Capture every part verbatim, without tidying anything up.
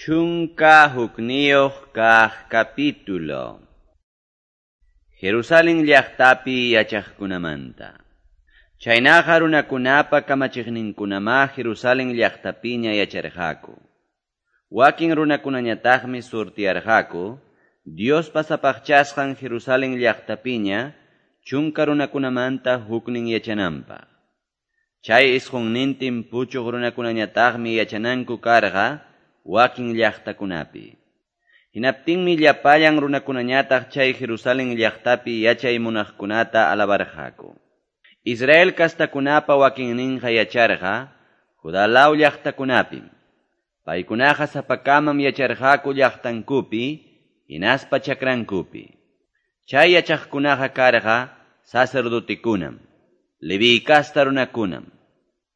Chunka hukniyuq kaq capítulo. Jerusalén llaqtapi yachaqkunamanta. Chaynaqa runakunapa kamachiqninkunamá Jerusalén llaqtapiña yacharqaku. Wakin runakunañataqmi surtiyarqaku, Diospa sapaqchasqan Jerusalén llaqtapiña chunka runakunamanta huknin yachananpaq. Chay isqunnintin puchuq runakunañataqmi yachananku karqa wakin llaqtakunapi. Hinaptinmi llapallan runakunañataq chay Jerusalén llaqtapi yachay munaqkunata alabarqaku. Israel kastakunapa wakinninqa yacharqa Judá law llaqtakunapim. Paykunaqa sapakamam yacharqaku llaqtankupi hinaspa chakrankupi. Chay yachaqkunaqa karqa sacerdotekunam, Leví kasta runakunam,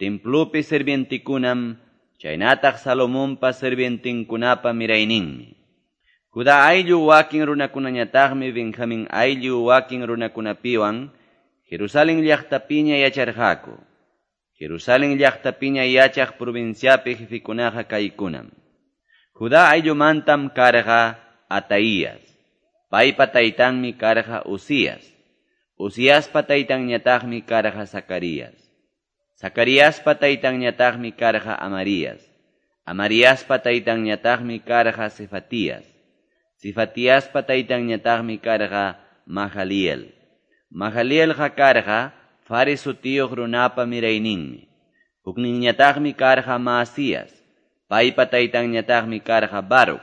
templopi sirvientekunam, chaynataq Salomonpa sirvientinkunapa mirayninmi. Judá ayllu wakin runakunañataqmi Benjamín ayllu wakin runakunapiwan Jerusalén llaqtapiña yacharqaku. Jerusalén llaqtapiña yachaq provinciapi jefekunaqa kaykunam. Judá ayllumantam karqa Ataías. Paypa taytanmi karqa Uzías. Uziaspa taytanñataqmi karqa Zacarías. Zacariaspa taytanñataqmi karqa Amarías. Amariaspa taytanñataqmi karqa Cefatías. Cefatiaspa taytanñataqmi karqa Mahaliel. Mahalielqa karqa Fares sutiyuq runapa mirayninmi. Hukninñataqmi karqa Maasías. Paypa taytanñataqmi karqa Baruc.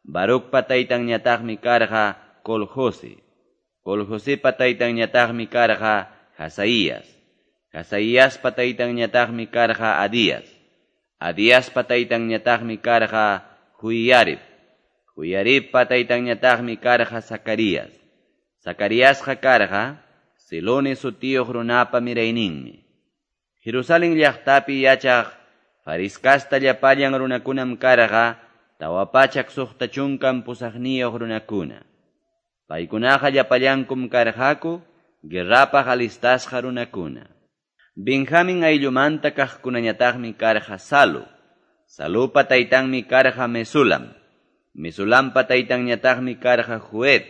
Barucpa taytanñataqmi karqa Coljose. Coljosepa taytanñataqmi karqa Hazaías. Hazaíaspa taytanñataqmi karqa Adías. Adíaspa taytanñataqmi karqa Joiarib. Joiaribpa taytanñataqmi karqa Zacarías. Zacariasqa karqa Silone sutiyuq runapa mirayninmi. Jerusalén llaqtapi yachaq Faris kasta llapallan runakunam karqa tawa pachak suqta chunkan pusaqniyuq runakuna. Paykunaqa llapallankum karqaku guerrapaq alistasqa runakuna. Benjamín ayllumanta kaqkunañataqmi karqa Salu. Salupa taytanmi karqa Mesulam. Mesulampa taytanñataqmi karqa Joed.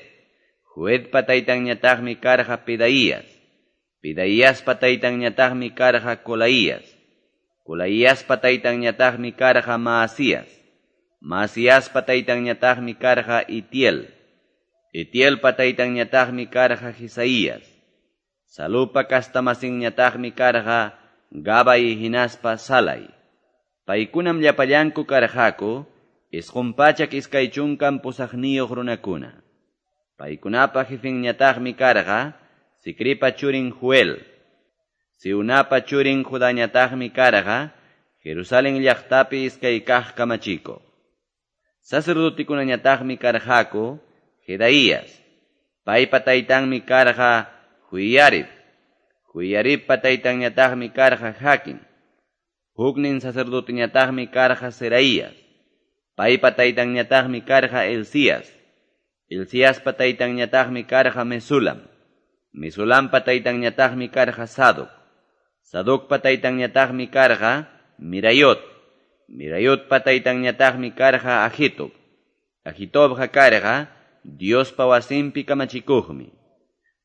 Joedpa taytanñataqmi karqa Pedaías. Pedaíaspa taytanñataqmi karqa Colaías. Colaíaspa taytanñataqmi karqa Maasías. Maasíaspa taytanñataqmi karqa Itiel. Itielpa taytanñataqmi karqa Jisaías. Salupa kastamasinñataqmi karqa Gabay hinaspa Salay. Paykunam llapallanku karqaku isqun pachak iskay chunkan pusaqniyuq runakuna. Paykunapa jefinñataqmi karqa Sicripa churin Joel. Siunapa churin Judañataqmi karqa Jerusalén llaqtapi iskay kaq kamachikuq. Sacerdotekunañataqmi karqaku Jedaías. Paypa taytanmi karqa Joiarib. Joiaribpa taytanñataqmi karqa Jaquín. Huknin sacerdoteñataqmi karqa Seraías. Paypa taytanñataqmi karqa Elías. Elíaspa taytanñataqmi karqa Mesulam. Mesulampa taytanñataqmi karqa Sadoc. Sadocpa taytanñataqmi karqa Mirayot. Mirayotpa taytanñataqmi karqa Ahitob. Ahitobqa karqa Diospa wasinpi kamachikuqmi.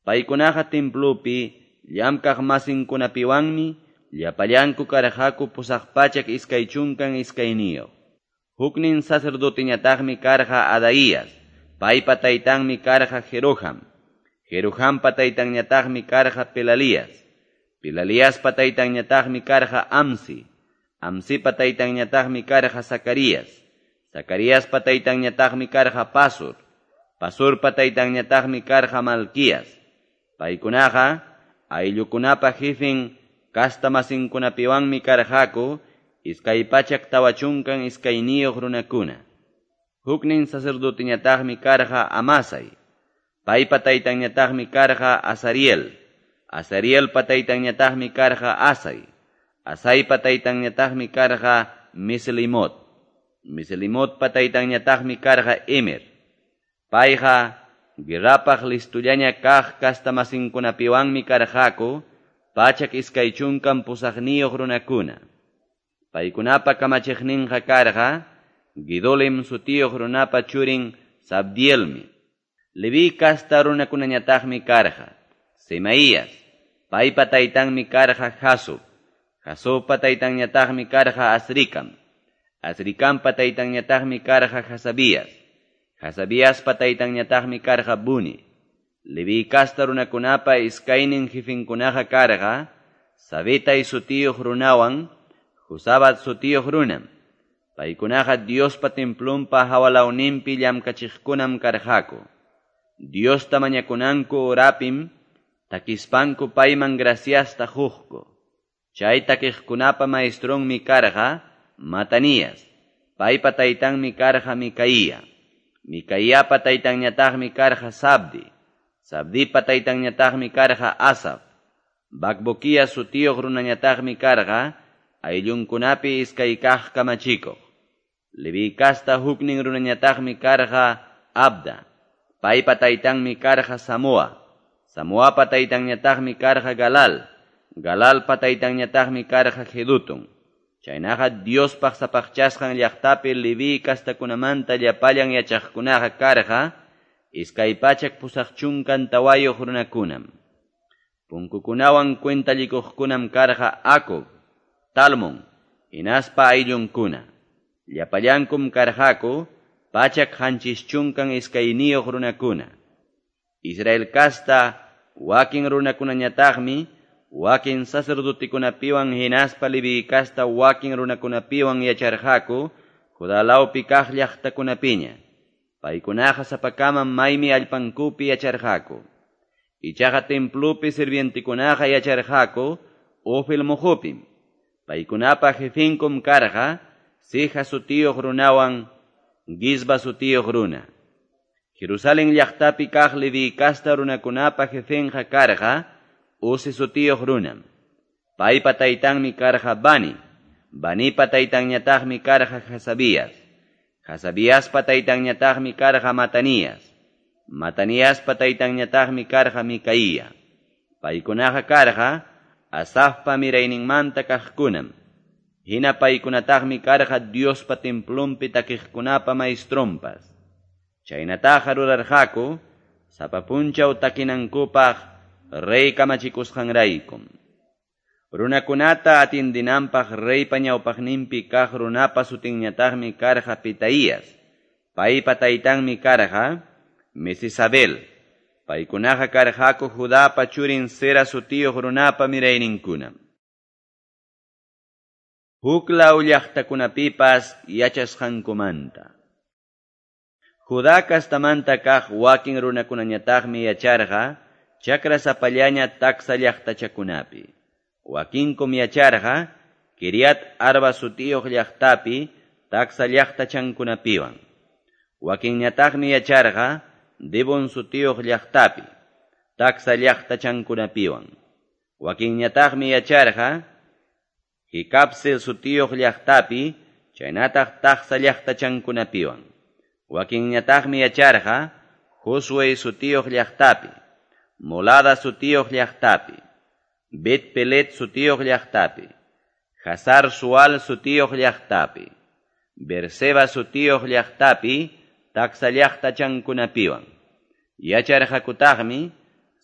Paykunaqa templopi llamkaq masinkunapiwanmi llapallanku karqaku pusaq pachak iskay chunkan iskayniyuq. Huknin sacerdoteñataqmi karqa Adaías. Paypa taytanmi karqa Jeroham. Jerohampa taytanñataqmi karqa Pelalías. Pelaliaspa taytanñataqmi karqa Amsi. Amsipa taytanñataqmi karqa Zacarías. Zacariaspa taytanñataqmi karqa Pasur. Pasurpa taytanñataqmi karqa Malquías. Paykunaqa ayllukunapa jefin kastamasinkunapiwanmi karqaku iskay pachak tawa chunkan iskayniyuq runakuna. Huknin sacerdoteñataqmi karqa Amasai. Paypa taytanñataqmi karqa Azariel. Azarielpa taytanñataqmi karqa Asai. Asaipa taytanñataqmi karqa Meslimot. Meslimotpa taytanñataqmi karqa Emer. Payqa guerrapaq listullaña kaq kastamasinkunapiwanmi karqaku pachak iskay chunkan pusaqniyuq runakuna. Paykunapa kamachiqninqa karqa Gidolim sutiyuq runapa churin Zabdielmi. Leví casta runakunañataqmi karqa Semaías, paypa taytanmi karqa Jasub, Jasubpa taytanñataqmi karqa Azrikam, Azrikampa taytanñataqmi karqa Hasabías, Hasabiaspa taytanñataqmi karqa Buni. Leví casta runakunapa iskaynin jefinkunaqa karqa Sabetay sutiyuq runawan Josabat sutiyuq runam. Paykunaqa Diospa templonpa hawalawninpi llamkachiqkunam karqaku. Diosta mañakunanku horapim takispanku payman graciasta quqku. Chay takiqkunapa maestronmi karqa Matanías, paypa taytanmi karqa Micaía. Micaíapa taytanñataqmi karqa Sabdi, Sabdipa taytanñataqmi karqa Asaf. Bacbuquía sutiyuq runañataqmi karqa ayllunkunapi iskay kaq kamachikuq. Leví casta huknin runañataqmi karqa Abda, paypa taytanmi karqa Samoa, Samoapa taytanñataqmi karqa Galal, Galalpa taytanñataqmi karqa Jedutun. Chaynaqa Diospaq sapaqchasqan llaqtapi Leví kastakunamanta llapallan yachaqkunaqa karqa iskay pachak pusaq chunkan tawayuq runakunam. Punkukunawan cuentallikuqkunam karqa Acob, Talmon, hinaspa ayllunkuna. Llapallankum karqaku pachak qanchis chunkan iskayniyuq runakuna. Israel kasta wakin runakunañataqmi wakin sacerdotikunapiwan hinaspa Leví kasta wakin runakunapiwan yacharqaku Judá lawpi kaq llaqtakunapiña. Paykunaqa sapakamam maymi allpankupi yacharqaku. Ichaqa templopi sirvientikunaqa yacharqaku Ofel muqupim. Paykunapa jefinkum karqa Sija sutiyuq runawan Gizba sutiyuq runa. Jerusalén llaqtapi kaq Leví kasta runakunapa jefenqa karqa Uzi sutiyuq runam. Paypa taytanmi karqa Bani, Banipa taytanñataqmi karqa Hasabías, Hasabiaspa taytanñataqmi karqa Matanías, Mataniaspa taytanñataqmi karqa Micaía. Paykunaqa karqa Asafpa mirayninmanta kaqkunam. Hina paykunataqmi karqa Diospa templonpi takiqkunapa maestronpas. Chaynataqa rurarqaku sapa punchaw takinankupaq rey kamachikusqanraykum. Runakunata atindinanpaq reypa ñawpaqninpi kaq runapa sutinñataqmi karqa Petaías. Paypa taytanmi karqa Mesisabel. Paykunaqa karqaku Judapa churin Zera sutiyuq runapa mirayninkunam. Huk law llaqtakunapipas yachasqankumanta. Judá kastamanta kaq wakin runakunañataqmi yacharqa chakra sapallaña taksa llaqtachakunapi. Wakinkum yacharqa Kiriat Arba sutiyuq llaqtapi taksa llaqtachankunapiwan. Wakinñataqmi yacharqa Dibon sutiyuq llaqtapi taksa llaqtachankunapiwan. Wakinñataqmi yacharqa Jicapsel sutiyuq llaqtapi chaynataq taksa llaqtachankunapiwan. Wakinñataqmi yacharqa Josué sutiyuq llaqtapi, Molada sutiyuq llaqtapi, Bet Pelet sutiyuq llaqtapi, Hazar Sual sutiyuq llaqtapi, Berseba sutiyuq llaqtapi taksa llaqtachankunapiwan. Yacharqakutaqmi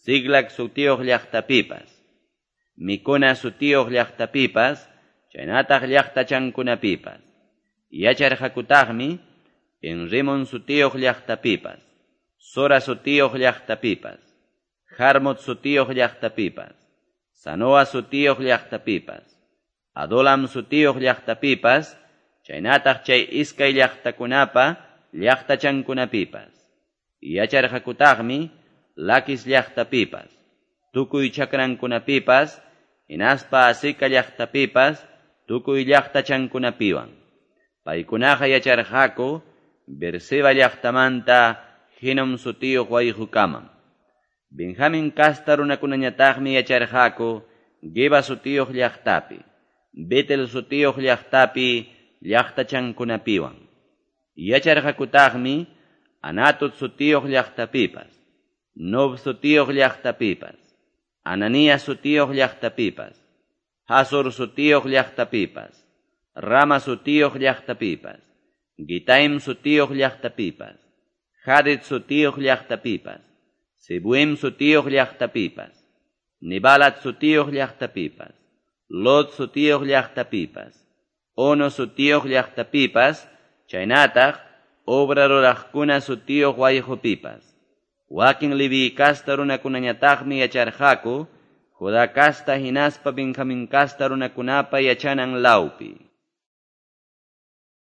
Ziclag sutiyuq llaqtapipas, Mikuna sutiyuq llaqtapipas, chaynataq llaqtachankunapipas. Yacharqakutaqmi Enrimon sutiyuq llaqtapipas, Sora sutiyuq llaqtapipas, Jarmut sutiyuq llaqtapipas, Sanoa sutiyuq llaqtapipas, Adolam sutiyuq llaqtapipas, chaynataq chay iskay llaqtakunapa llaqtachankunapipas. Yacharqakutaqmi Lakis llaqtapipas, tukuy chakrankunapipas, hinaspa Aseca llaqtapipas, tukuy llaqtachankunapiwan. Paykunaqa yacharqaku Berseba llaqtamanta Hinom sutiyuq wayqukamam. Benjamin kasta runakunañataqmi yacharqaku Geba sutiyuq llaqtapi, Betel sutiyuq llaqtapi llaqtachankunapiwan. Yacharqakutaqmi Anatot sutiyuq llaqtapipas, Nob sutiyuq llaqtapipas, Ananías sutiyuq llaqtapipas, Hazor sutiyuq llaqtapipas, Rama sutiyuq llaqtapipas, Gitaim sutiyuq llaqtapipas, Hadid sutiyuq llaqtapipas, Zeboim sutiyuq llaqtapipas, Nebalat sutiyuq llaqtapipas, Lod sutiyuq llaqtapipas, Ono sutiyuq llaqtapipas, chaynataq Obra ruraqkuna sutiyuq wayqopipas. Wakin Leví casta runakunañataqmi yacharqaku Judá casta hinaspa Benjamín casta runakunapa yachanan lawpi.